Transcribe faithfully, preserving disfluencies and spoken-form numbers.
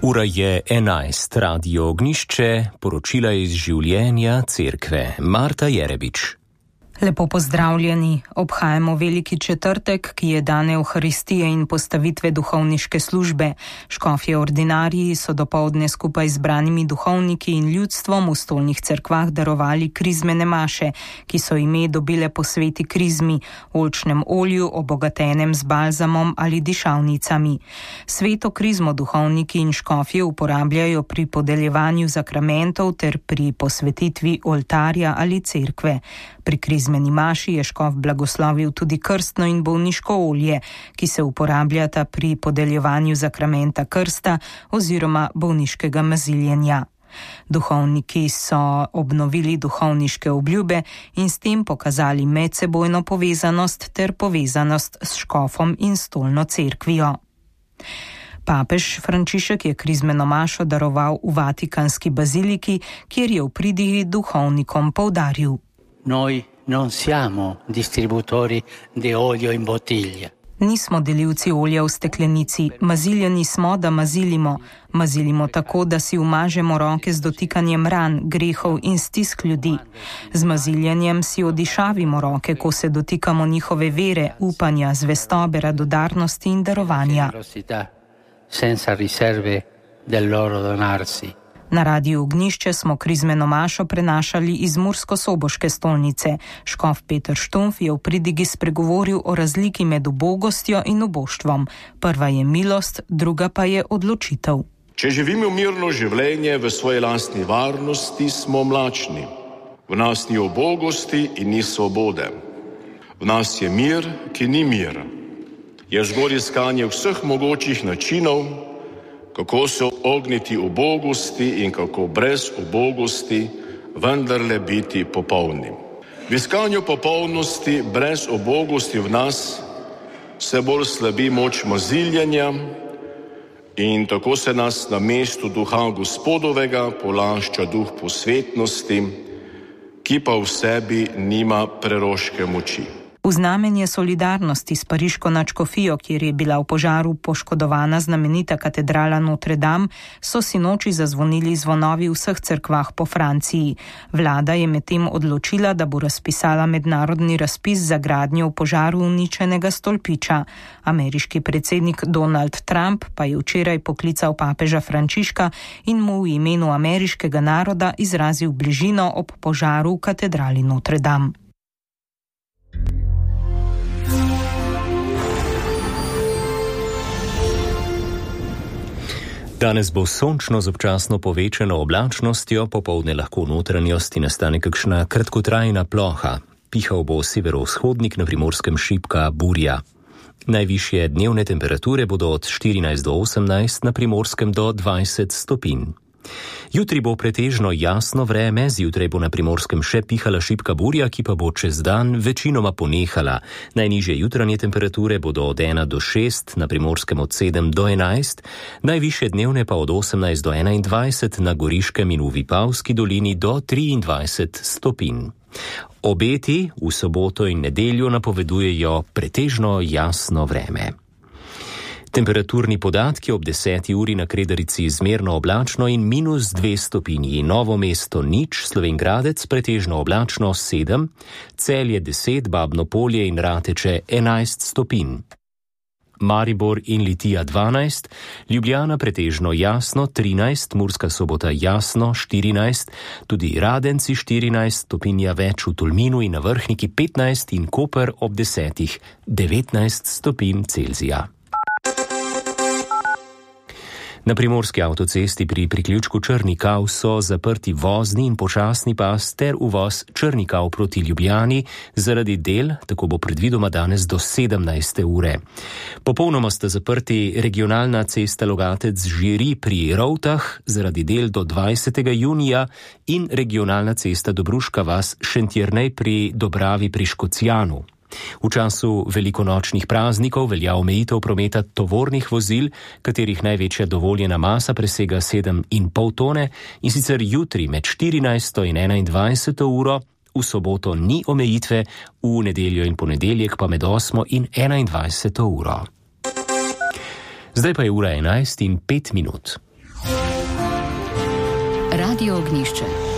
Ura je enajst, Radio Ognjišče, poročila iz življenja cerkve. Marta Jerebič. Lepo pozdravljeni. Obhajamo veliki četrtek, ki je dan Evharistije in postavitve duhovniške službe. Škofje ordinariji so dopoldne skupaj z branimi duhovniki in ljudstvom v stolnih cerkvah darovali krizmene maše, ki so ime dobile po sveti krizmi, oljčnem olju, obogatenem z balzamom ali dišavnicami. Sveto krizmo duhovniki in škofje uporabljajo pri podeljevanju zakramentov ter pri posvetitvi oltarja ali cerkve. Pri krizmeni maši je škof blagoslovil tudi krstno in bolniško olje, ki se uporabljata pri podeljevanju zakramenta krsta oziroma bolniškega maziljenja. Duhovniki so obnovili duhovniške obljube in s tem pokazali medsebojno povezanost ter povezanost s škofom in stolno cerkvijo. Papež Frančišek je krizmeno mašo daroval v Vatikanski baziliki, kjer je v pridigi duhovnikom poudaril: Noi non siamo distributori di olio in bottiglia. Nismo delivci olja v steklenici, maziljeni smo, da mazilimo. Mazilimo tako, da si umažemo roke z dotikanjem ran, grehov in stisk ljudi. Z maziljenjem si odišavimo roke, ko se dotikamo njihove vere, upanja, zvestobe, radodarnosti in darovanja. Senza riserve del loro donarsi. Na Radiu Ognjišče smo krizmeno mašo prenašali iz mursko-soboške stolnice. Škof Peter Štumf je v pridigi spregovoril o razliki med ubogostjo in uboštvom. Prva je milost, druga pa je odločitev. Če živimo mirno življenje v svoji lastni varnosti, smo mlačni. V nas ni ubogosti in ni svobode. V nas je mir, ki ni mir. Je zgolj iskanje vseh mogočih načinov, kako se ogniti ubogosti in kako brez ubogosti vendarle biti popolni. V iskanju popolnosti brez ubogosti v nas se bolj slabi moč maziljenja in tako se nas na mestu duha Gospodovega polašča duh posvetnosti, ki pa v sebi nima preroške moči. V znamenje solidarnosti s pariško nadškofijo, kjer je bila v požaru poškodovana znamenita katedrala Notre Dame, so sinoči zazvonili zvonovi v vseh cerkvah po Franciji. Vlada je medtem odločila, da bo razpisala mednarodni razpis za gradnjo v požaru uničenega stolpiča. Ameriški predsednik Donald Trump pa je včeraj poklical papeža Frančiška in mu v imenu ameriškega naroda izrazil bližino ob požaru v katedrali Notre Dame. Danes bo sončno z občasno povečano oblačnostjo, popoldne lahko v notranjosti nastane kakšna kratkotrajna ploha. Pihal bo severovzhodnik, na Primorskem šibka burja. Najvišje dnevne temperature bodo od štirinajst do osemnajst, na Primorskem do dvajset stopinj. Jutri bo pretežno jasno vreme, zjutraj bo na Primorskem še pihala šibka burja, ki pa bo čez dan večinoma ponehala. Najnižje jutranje temperature bodo od ena do šest, na Primorskem od sedem do enajst, najvišje dnevne pa od osemnajst do enaindvajset, na Goriškem in v Vipavski dolini do triindvajset stopinj. Obeti v soboto in nedeljo napovedujejo pretežno jasno vreme. Temperaturni podatki ob deseti uri na Kredarici zmerno oblačno in minus dve stopinji, Novo mesto nič, Slovenj Gradec pretežno oblačno sedem, Celje deset, Babno Polje in Rateče enajst stopinj. Maribor in Litija dvanajst, Ljubljana pretežno jasno trinajst, Murska Sobota jasno štirinajst, tudi Radenci štirinajst, stopinja več v Tolminu in na Vrhniki petnajst in Koper ob desetih devetnajst stopinj Celzija. Na Primorski avtocesti pri priključku Črnikav so zaprti vozni in počasni pas ter uvoz Črnikav proti Ljubljani zaradi del, tako bo predvidoma danes do sedemnajste ure. Popolnoma sta zaprti regionalna cesta Logatec-Žiri pri Rovtah zaradi del do dvajsetega junija in regionalna cesta Dobruška vas Šentjernej pri Dobravi pri Škocjanu. V času velikonočnih praznikov velja omejitev prometa tovornih vozil, katerih največja dovoljena masa presega sedem in pol tone, in sicer jutri med štirinajsto in enaindvajseto uro, v soboto ni omejitve, v nedeljo in ponedeljek pa med osmo in enaindvajseto uro. Zdaj pa je ura enajst in pet minut. Radio Ognišče.